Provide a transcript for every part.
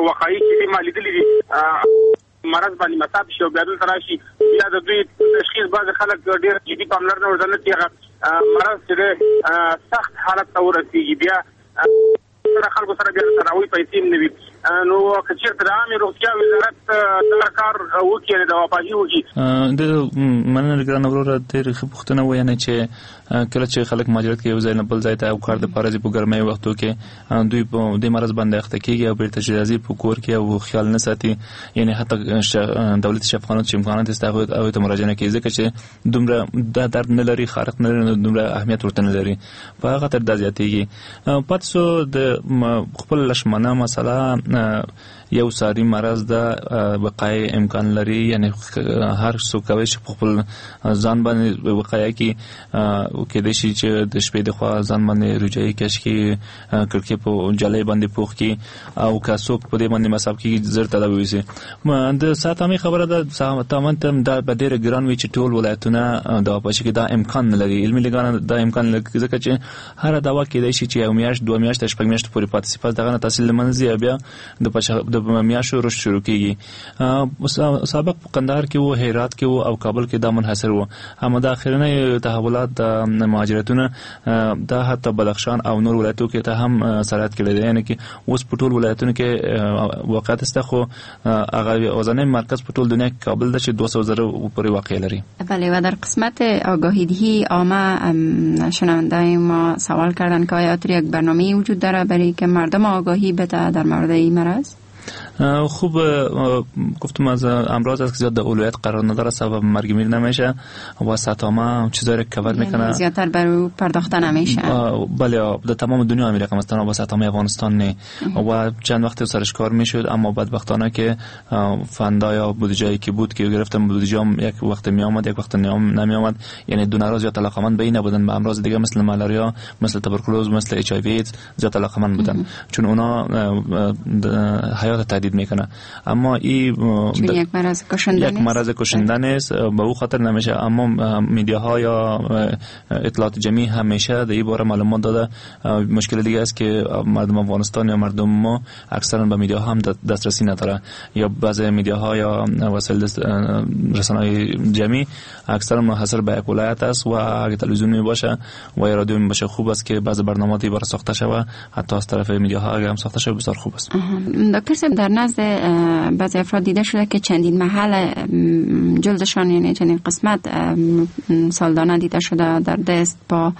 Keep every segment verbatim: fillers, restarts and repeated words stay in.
وقایع چې ما لیدلې دي مرض باندې مصاب شي او بیا دلته راشي، بیا د دوی تشخیص بعضې خلک ډېر جدي پاملرنه ورته نه کوي، هغه مرض چې دی سخت حالت ته ورسېږي، بیا سره خلکو سره بیا تداوي پیسې هم نه وي. نو که چېرته د عامې روغتیا وزارت دا کار وکړي، یعنې دواپاشي وکړي. د مننه ګرانه وروره، ډېره ښه پوښتنه وه. یعنې چې کله چې خلک مهاجرت کوي یو ځای نه بل ځای ته او کار دپاره ځي په ګرمۍ وختو کې دوی په دې مرض باندې اخته کېږي او بېرته چې راځي په کور کې او خیال نه ساتي، یعنې حتی دولتي شفاخانو چې امکانات شته هغوی ته مراجعه نه کوي، ځکه چې دومره دا درد نه لري، خارق نه لري، دومره اهمیت ورته نه لري، په هغه خاطر دا زیاتېږي. پاتې شو د خپل لشمنه مسله، یو ساري مرض ده، وقایع امکان لري، یعنی هر څوک کولی شي په خپل ځان باندې وقایع کې کېدای شي چې د شپې د خوا ځان باندې رجایي کش کړي، کړکۍ په جالۍ باندې پوخ کړي، او که څوک په دې باندې مصاب کېږي زر تداوي وشي. د ساتامې خبره ده، ساتامه ته دا به ډېره ګران وي چې ټول ولایتونه دواپاشي کې دا امکان نه لري، علمي لګانه دا امکان لري، ځکه چې هره دوا کېدای شي چې یو میاشت، دوه میاشتې، شپږ میاشتې پورې پاتې شي، پس دغه نه تحصیل له منځه ځي او بیا د د میاشو رشد شروع کیږي. سابق په قندهار کې وو، هرات کې وو او کابل کې دا منحصر وو، اما دا اخرنۍ تحولات د مهاجرتونه دا حتی بدخشان او نور ولایتو کې ته هم سرایت کړی دی، یعنی کې اوس په ټول ولایتونو کې واقعیت شته، خو هغه اوسنی مرکز په ټول دنیا کې کابل ده چې دوه سوه زره پورې واقع لري. بله، و در قسمت آگاهی دهی عامه شنونده ما سوال کردن که آیا یک برنامه وجود داره برای که مردم آگاهی بده در مورد این مرض؟ خوب، گفتم از امراض است که زیاد در اولویت قرار نداره، سبب مرگ میر نمیشه و سطامه چیزایی رو کور میکنه، زیادتر بر او پرداخته نمیشه. بله، در تمام دنیا همین رقم است، تنها با سطامه افغانستان نه، و چند وقت سرش کار میشد، اما بدبختانه که فندا یا بودجه که بود که گرفتم بودجه هم یک وقت می آمد یک وقت نمی آمد، یعنی دو ناراض زیاد علاقمند به این نبودن، به امراض دیگه مثل مالاریا، مثل توبرکلوز، مثل اچ آی وی زیاد علاقمند بودن، چون اونا حیات تهدید میکنه. اما این چون یک مرض کشنده یک مرض کشنده نیست، به او خاطر نمیشه. اما میدیاها یا اطلاعات جمعی همیشه در این باره معلومات داده. مشکل دیگه است که مردم افغانستان یا مردم ما اکثرا به میدیا هم دسترسی نداره، یا بعضی میدیاها یا وسایل رسانه‌های جمعی اکثرا منحصر به یک ولایت است و اگه تلویزیون می باشه و یا رادیو می باشه خوب است که بعضی برنامه‌ای برای ساخته شوه، حتی از طرف میدیاها اگه هم ساخته شوه بسیار خوب است. دکتر صاحب، در نزد بعضی افراد دیده شده که چندین محل جلدشان، یعنی چندین قسمت سالدانه دیده شده در دست با،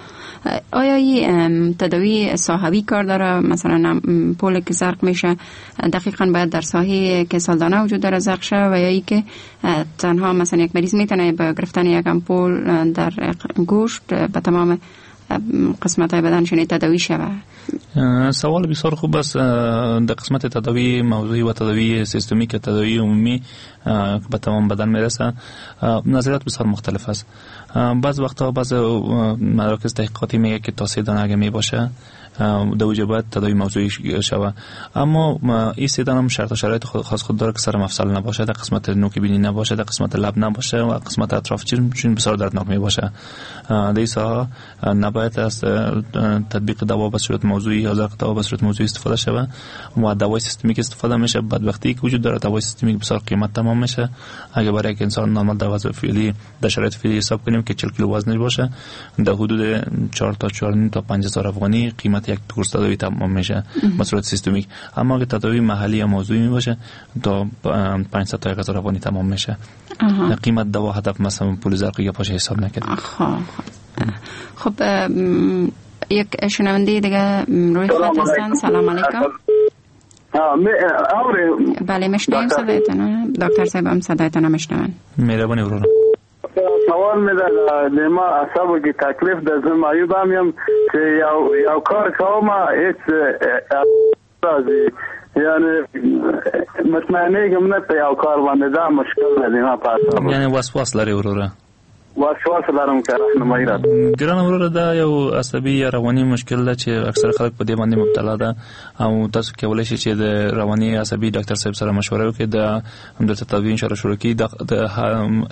آیا این تداوی ساحوی کار داره؟ مثلا پول که زرق میشه دقیقاً باید در ساحه که سالدانه وجود داره زرق شه، و یا ای که تنها مثلا یک مریض میتونه با گرفتن یک امپول در گوشت به تمام قسمت های بدنشون تداوی شود؟ سوال بسیار خوب است. در قسمت تداوی موضوعی و تداوی سیستمیک، تداوی عمومی به تمام بدن میرسه، نظریات بسیار مختلف است. بعض وقتا بعض مراکز تحقیقاتی میگه که تا سه دانه اگه می باشه در باید تداوی موضوعی شود، اما این سه دانه هم شرط و شرایط خاص خود داره که سر مفصل نباشه، در قسمت نوک بینی نباشه، در قسمت لب نباشه و قسمت اطراف چشم، چون بسیار دردناک می باشه. در این ساحه نباید از تطبیق دوا به صورت موضوعی یا زرق دوا به صورت موضوعی استفاده شود و دوای سیستمیک استفاده میشه. بدبختی که وجود داره دوای سیستمیک بسیار قیمت تمام میشه. اگه برای یک انسان نرمال در وزن فعلی در شرایط فعلی حساب کنیم که چهل کیلو وزنش باشه، در حدود چهار تا چهار و نیم تا پنج هزار افغانی قیمت یک کورس تداوی تمام میشه به صورت سیستمیک. اما اگه تداوی محلی یا موضوعی میباشه تا پانصد تا هزار افغانی تمام میشه. قیمت دوا هدف مثلا پول زرقی یا پاش حساب نکرد. خب یک شنونده دیگه روی خط هستن. سلام علیکم. بله میشنویم صدایتان. دکتر صاحب هم صدایتان میشنون. مهربانی ورور. سوال مې ده د ما اعصابو کې تکلیف ده، زه معیوب هم یم چې یو یو کار کوم هیڅ راځي، یعنی مطمئنېږم نه په یو کار باندې، دا مشکل ده ما په اعصابو. یعنی وسواس لري وروره؟ وسواس لرم که راهنمایي راکړه. ګرانه وروره، دا یو عصبي یا رواني مشکل ده چې اکثر خلک په دې باندې مبتلا ده، او تاسو کولای شئ چې د رواني عصبي ډاکټر صاحب سره مشوره وکړئ، د همدلته تداوي ان شاء الله شروع کړي. د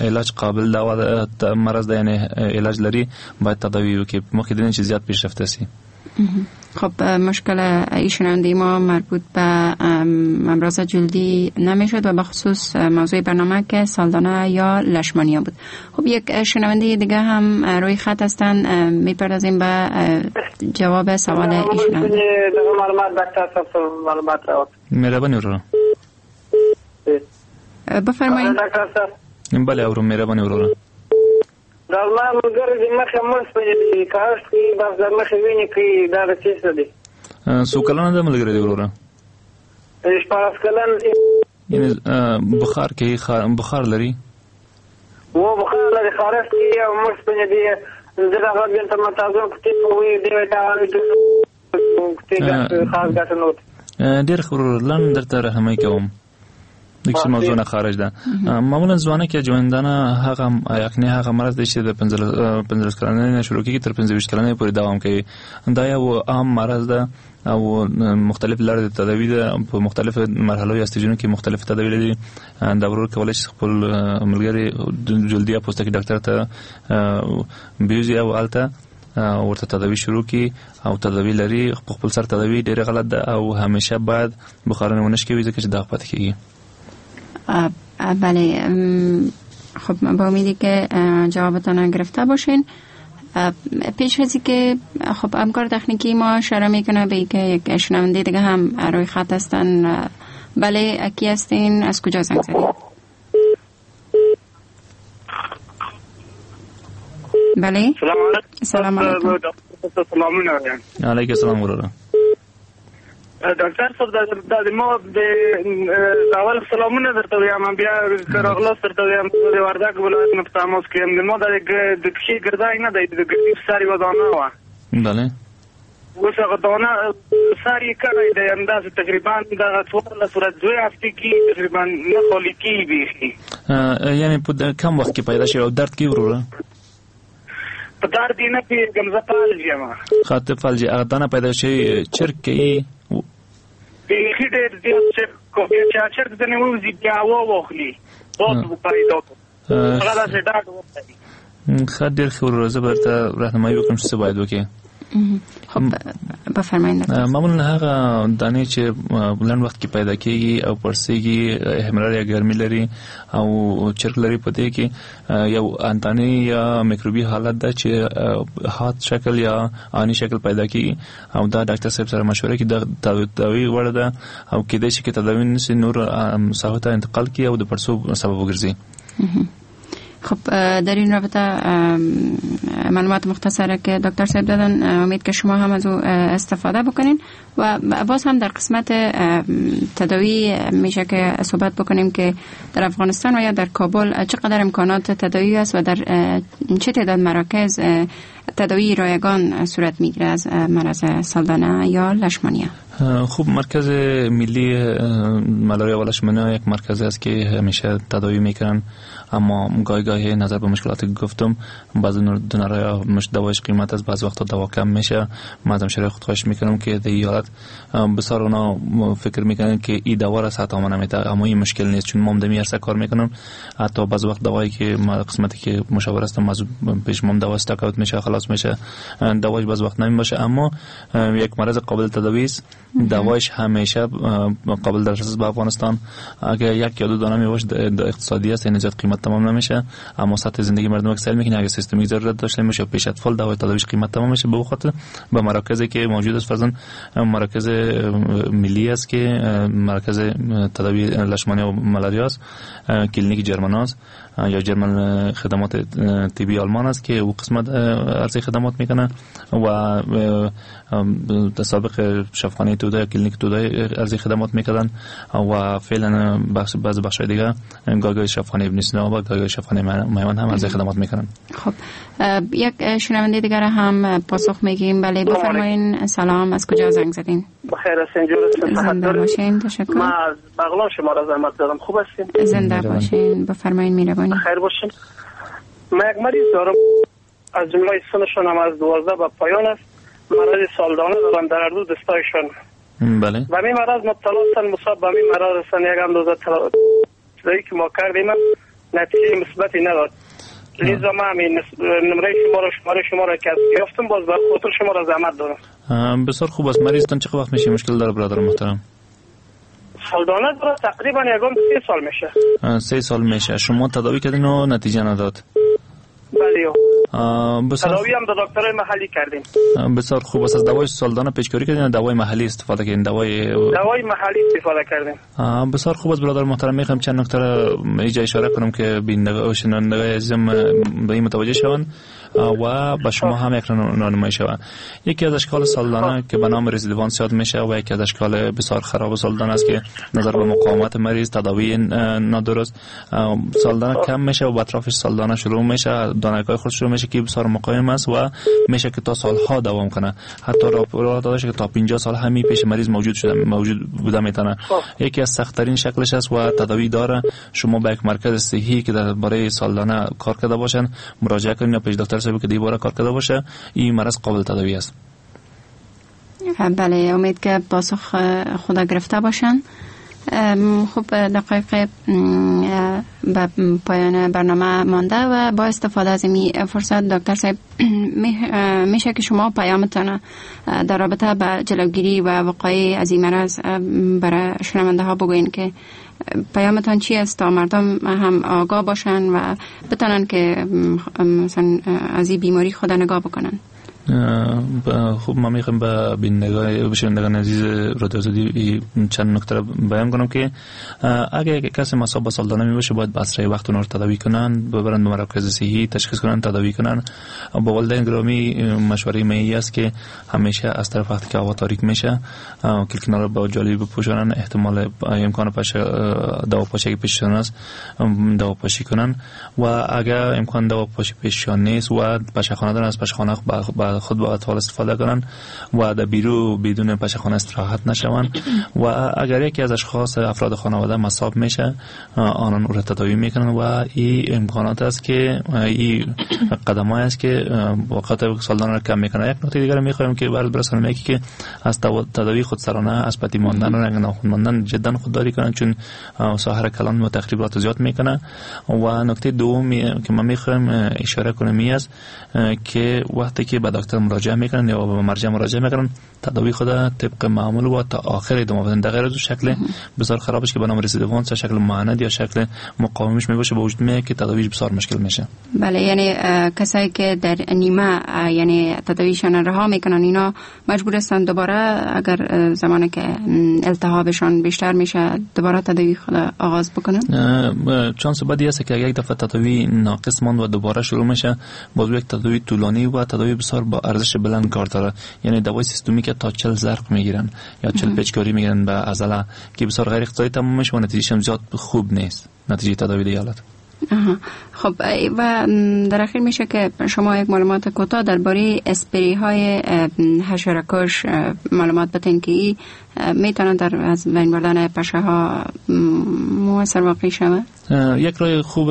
علاج قابل دوا مرض ده، یعنی علاج لري، باید تداوي وکړي، مخکې د دې چې زیات پیشرفت شي. خب مشکل ایشون ما مربوط به امراض جلدی نمیشد و به خصوص موضوع برنامه که سالدانه یا لشمانیا بود. خب یک شنونده دیگه هم روی خط هستن، میپردازیم به جواب سوال ایشون. مهربانی ورور. بفرمایید. بله اورم، مهربانی ورور. دا ما ملګری د مخې مړ شوی دی، کاش کې بس د مخې وینې کوي، دا د څه دی؟ څو کلنه ده ملګری دی وروره؟ شپاړس کلن. یعنی بخار کې بخار لري؟ و بخار لري، خارښت کوي او مړ شوی دی. زه هغه بیرته متازون کوتې وي دی دا کوتې خاص ګټه نه وته. ډېر ښه وروره، لنډ درته راهنمایي کوم. د کسی موضوع نه خارج ده. معمولا ځوانه کې ژوندانه هغه یعنی هغه مرض دی چې د پنځلس کلنۍ نه شروع کیږي تر پنځه ویشت کلنۍ پورې دوام کوي. دا یو عام مرض ده او مختلف لارې د تداوي ده، په مختلف مرحلو یا ستیجونو کې مختلف تداوي لري. دا ورور کولی شي خپل ملګری جلدي یا پوستکي ډاکټر ته بیوزي او هلته ورته تداوي شروع کی او تداوي لري. په خپل سر تداوي ډېره غلط ده او همیشه باید بخارونه ونه شکوي ځکه چې داغ پاتې کیږي. بله، خب با امیدی که جوابتان گرفته باشین. پیش از که خب همکار تکنیکی ما اشاره میکنه به اینکه یک شنونده دیگه هم روی خط هستن. بله، کی هستین؟ از کجا زنگ زدین؟ بله، سلام علیکم. سلام علیکم. سلام وروره. ډاکټر صاحب، دا ما د اول سلامونه درته وایم، بیا راغلاست درته وایم. د وردګ ولایت نه په تماس کې یم. ما د د پښې ګردای نه دی، د ګردي په سر یوه دانه وه. بله، اوس هغه دانه سر یې کړی دی، همداسې تقریبا دغه څوارلس ورځ دوې هفتې کې تقریبا نه خالي کېږي بیخي. یعنی په کم وخت کې پیدا شوی او درد کې وروره؟ په درد یې نه پوهېږم، زه فالج یم. ښه، ته فالج یې. هغه دانه پیدا شوی چرګ کوي؟ بیخي ډېر زیات چرګ کوي، چې چرګ ځنې ووځي بیا هوا واخلي، باد پیدا کړي، هغه داسې ډاډ ورکوي. ښه، ډېر ښه وروره، زه به درته راهنمایي وکړم چې څه باید وکړې. خب بفرمایید. معمولا هغه دانې چې لنډ وخت کې پیدا کیږي او پړسیږي، احمرار یا ګرمي لري او چرک لري، په دې کې یو انتاني یا میکروبي حالت ده چې حاد شکل یا آني شکل پیدا کیږي او دا ډاکټر صاحب سره مشوره کې د تداوي وړ ده او کېدای شي چې تداوي نشي نور ساحو ته انتقال کړي او د پړسوب سبب وګرځي. خب در این رابطه معلومات مختصره که دکتر صاحب دادن، امید که شما هم از او استفاده بکنین. و باز هم در قسمت تداوی میشه که صحبت بکنیم که در افغانستان و یا در کابل چقدر امکانات تداوی است و در چه تعداد مراکز تداوی رایگان صورت میگیره از مرض سالدانه یا لشمانیا؟ خب مرکز ملی ملاریا و لشمانیا یک مرکز است که همیشه تداوی میکنن، اما گاهی گاهی نظر به مشکلات که گفتم بعضی دونرها دوایش قیمت است، بعضی وقتا دوا کم میشه. من از همشهری خود خواهش میکنم که در این حالت بسیار اونا فکر میکنن که این دوا را صحت آمانه میده، اما این مشکل نیست چون ما هم دمی عرصه کار میکنم. حتی بعضی وقت دوایی که ما قسمتی که مشاور هستم از پیش ما دوا استاک اوت میشه، خلاص میشه، دوایش بعضی وقت نمیشه، اما یک مرض قابل تداوی است. دوایش همیشه قابل دسترس به افغانستان. اگر یک یا دو دانه میباشه اقتصادی است، یعنی زیاد قیمت تمام نمیشه، اما سطح زندگی مردم اکسل میکنه. اگر سیستمی ضرورت داشته میشه پیش اطفال دوای تداویش قیمت تمام میشه. به خاطر به مراکزی که موجود است، فرضاً مرکز ملی است که مرکز تداوی لشمانی و ملاریا است، کلینیک جرمن است یا جرمن خدمات طبی آلمان است که او قسمت عرضه خدمات میکنه و سابق شفاخانه توده کلینیک توده عرضه خدمات میکردن و فعلا بخش بعض بخش‌های دیگه گاهی شفاخانه ابن سینا و گاهی شفاخانه میوند هم عرضه خدمات میکنن. خب یک شنونده دیگر هم پاسخ میگیم. بله بفرمایین. سلام، از کجا زنگ زدین؟ بخیر هستین، جور هستین، زنده باشین، تشکر. ما از بغلان شما را زحمت دادم. خوب هستین؟ زنده باشین، بفرمایین. میربانی. بخیر باشین. ما یک مریض دارم، از جمله سنشون هم از دوازده به پایان است، مرض سالدانه دارن در هر دو دستایشان. بله. به می مرض مبتلا هستن، مصاب به می مرض هستن. یک اندازه تداوی که ما کردیم نتیجه مثبتی نداد. لذا ما همین نمره شما را شماره شما را که یافتم باز به خاطر شما را زحمت دادم. بسیار خوب است. مریضتان چه وقت میشه مشکل داره برادر محترم؟ سالدانه داره تقریبا یگان سه سال میشه. سه سال میشه. شما تداوی کردین و نتیجه نداد؟ بله. تداوی هم در دکترای محلی کردیم. بسیار خوب است. از دوای سالدانه پیشکاری کردین یا دوای محلی استفاده کردین؟ دوای دوای محلی استفاده کردیم. بسیار خوب است برادر محترم. میخوام چند نکته را اینجا اشاره کنم که بینندگان و شنوندگان عزیزم به این متوجه شوند و به شما هم یک راهنمایی شود. یکی از اشکال سالدانه که به نام رزیدوانس یاد میشه و یکی از اشکال بسیار خراب سالدانه است که نظر به مقاومت مریض، تداوی نادرست، سالدانه کم میشه و به اطرافش سالدانه شروع میشه، دانه‌های خود شروع میشه که بسیار مقاوم است و میشه که تا سالها دوام کنه. حتی راپور داده شده که تا پنجاه سال همی پیش مریض موجود شده موجود بوده میتونه. یکی از سخت ترین شکلش است و تداوی داره. شما به یک مرکز صحی که درباره سالدانه کار کرده باشن مراجعه کنید یا پیش دکتر صاحب که دیواره کار کرده باشه. این مرض قابل تداوی است. بله، امید که پاسخ خدا گرفته باشن. خب دقایق به پایان برنامه مانده و با استفاده از این فرصت دکتر صاحب میشه که شما پیامتان در رابطه با جلوگیری و وقایع از این مرض برای شنونده ها بگوین که پیامتان چی است تا مردم هم آگاه باشن و بتانن که مثلا از این بیماری خود نگاه بکنن. خب ما میخوایم به بینندگان شنوندگان عزیز رادیو آزادی چند نکته را بیان کنم که اگه کسی مصاب به سالدانه میباشه باید به اسرع وقت اونها رو تداوی کنن، ببرن به مراکز صحی تشخیص کنن، تداوی کنن. با والدین گرامی مشوره می است که همیشه از طرف وقتی که هوا تاریک میشه کلکنا رو با جالی بپوشونن، احتمال امکان پاش دواپاشی پیششان است دواپاشی کنن و اگر امکان دواپاشی پیششان نیست و پشخانه دارن از پشخانه با خود با اطفال استفاده کنن و در بیرو بدون پشخانه استراحت نشوند و اگر یکی از اشخاص افراد خانواده مصاب میشه آنان او را تداوی میکنن و این امکانات است که این قدمای است که وقت سالدانه را کم میکنه. یک نکته دیگر میخوایم که برات برسانم، یکی که از تداوی خودسرانه از پتی ماندن و رنگ ناخن ماندن جدا خودداری کنن چون ساحر کلان و تخریبات زیاد میکنه. و نکته دوم که من میخوایم اشاره کنم این است که وقتی که به دکتر مراجعه میکنن یا به مرجع مراجعه میکنن تداوی خود طبق معمول و تا آخر ادامه بدن. در غیر از شکل بسیار خرابش که به نام رسیدوانس شکل معاند یا شکل مقاومش میباشه به وجود میاد که تداویش بسیار مشکل میشه. بله، یعنی کسایی که در نیمه یعنی تداویشان رها میکنن اینا مجبور هستن دوباره اگر زمانی که التهابشان بیشتر میشه دوباره تداوی خود آغاز بکنن. چانس بدی است که یک دفعه تداوی ناقص ماند و دوباره شروع میشه، باز یک تداوی طولانی و تداوی بسیار با ارزش بلند کار داره. یعنی دوای سیستمی که تا چهل زرق میگیرن یا چهل پیچکاری میگیرن به عضله که بسیار غیر اقتصادی تمام میشه و نتیجهش هم زیاد خوب نیست، نتیجه تداوی دیگه حالت. آها. خب و در اخیر میشه که شما یک معلومات کوتاه درباره اسپری های حشره‌کش معلومات بدین که ای میتونه در از بین بردن پشه ها موثر واقع شود؟ یک راه خوب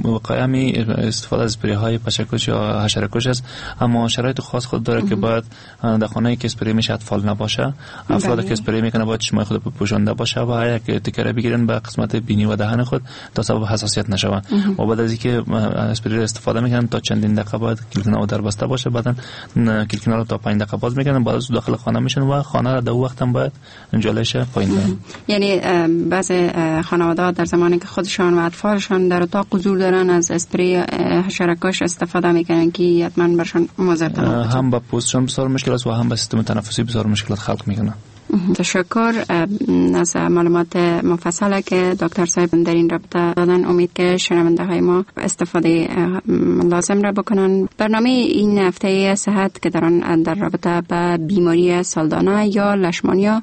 وقایع استفاده از اسپری های پشه‌کش یا حشره‌کش است، اما شرایط خاص خود داره که باید در خانه‌ای که اسپری میشه اطفال نباشه، افرادی که اسپری میکنه باید چشمای خود پوشانده باشه و یک تکره بگیرن به قسمت بینی و دهن خود تا سبب حساسیت نشود. و بعد از اینکه اسپری استفاده میکنن تا چندین دقیقه باید کلکنا در بسته باشه، بعدن کلکنا رو تا پنج دقیقه باز میکنن، بعد از داخل خانه میشن و خانه را در وقت هم باید جالش پایین دارن. یعنی بعض خانواده‌ها در زمانی که خودشان و اطفالشان در اتاق حضور دارن از اسپری حشره‌کش استفاده میکنن که حتما برشان مضر تمام هم با پوستشان بسیار مشکل است و هم با سیستم تنفسی بسیار مشکلات خلق میکنه. تشکر از معلومات مفصله که دکتر صاحب در این رابطه دادن. امید که شنونده های ما استفاده لازم را بکنن. برنامه این هفته صحت که در آن در رابطه با بیماری سالدانه یا لشمانیا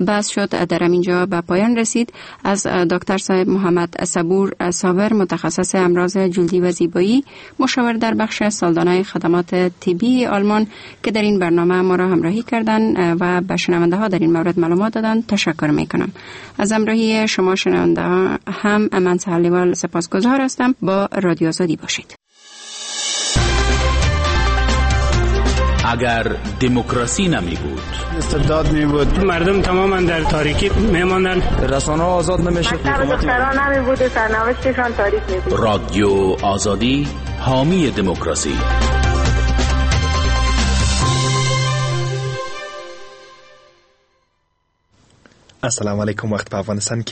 بحث شد در اینجا به پایان رسید. از دکتر صاحب محمد صبور صابر، متخصص امراض جلدی و زیبایی، مشاور در بخش سالدانه خدمات طبی آلمان که در این برنامه ما را همراهی کردند و به شنونده ها در این مورد معلومات دادن تشکر میکنم. از همراهی شما شنونده ها هم من سهلیوال سپاسگزار هستم. با رادیو آزادی باشید. اگر دموکراسی نمی بود، استبداد می بود، مردم تماما در تاریکی میماندند، رسانه آزاد نمیشد، دختران نمی بود، سرنوشتشان تاریک می بود. رادیو آزادی حامی دموکراسی. السلام علیکم. وخت په افغانستان کې